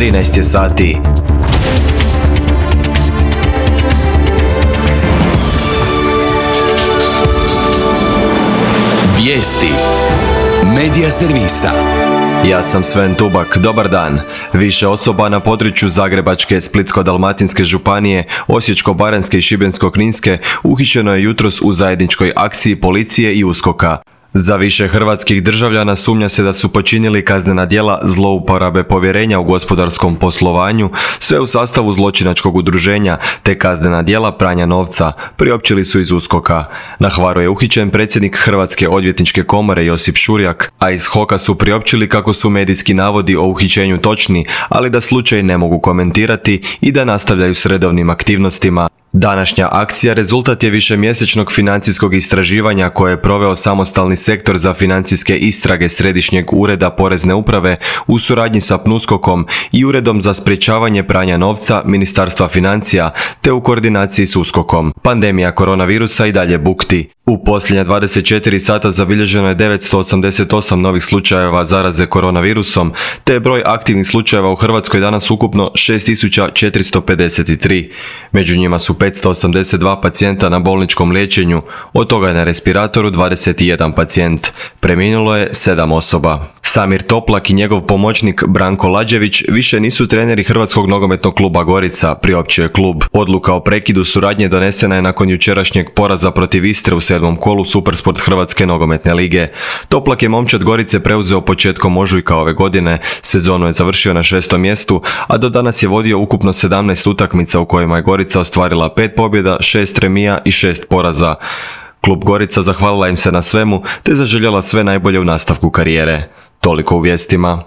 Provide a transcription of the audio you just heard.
13 je sati. Vijesti Medija servisa. Ja sam Sven Tubak, dobar dan. Više osoba na području Zagrebačke, Splitsko-dalmatinske županije, Osječko-baranjske i Šibensko-kninske uhićeno je jutros u zajedničkoj akciji policije i USKOK-a. Za više hrvatskih državljana sumnja se da su počinili kaznena djela zlouporabe povjerenja u gospodarskom poslovanju, sve u sastavu zločinačkog udruženja, te kaznena djela pranja novca, priopćili su iz USKOK-a. Na Hvaru je uhićen predsjednik Hrvatske odvjetničke komore Josip Šurjak, a iz HOK-a su priopćili kako su medijski navodi o uhićenju točni, ali da slučaj ne mogu komentirati i da nastavljaju s redovnim aktivnostima. Današnja akcija rezultat je višemjesečnog financijskog istraživanja koje je proveo samostalni sektor za financijske istrage Središnjeg ureda Porezne uprave u suradnji sa PNUSKOK-om i Uredom za sprječavanje pranja novca Ministarstva financija te u koordinaciji s USKOK-om. Pandemija koronavirusa i dalje bukti. U posljednja 24 sata zabilježeno je 988 novih slučajeva zaraze koronavirusom, te je broj aktivnih slučajeva u Hrvatskoj danas ukupno 6453. Među njima su 582 pacijenta na bolničkom liječenju, od toga je na respiratoru 21 pacijent. Preminulo je 7 osoba. Samir Toplak i njegov pomoćnik Branko Lađević više nisu treneri Hrvatskog nogometnog kluba Gorica, priopćio je klub. Odluka o prekidu suradnje donesena je nakon jučerašnjeg poraza protiv Istre u 7. kolu Supersport Hrvatske nogometne lige. Toplak je momčad Gorice preuzeo početkom ožujka ove godine, sezonu je završio na 6. mjestu, a do danas je vodio ukupno 17 utakmica u kojima je Gorica ostvarila 5 pobjeda, 6 remija i 6 poraza. Klub Gorica zahvalila im se na svemu te zaželjela sve najbolje u nastavku karijere. Toliko u vijestima.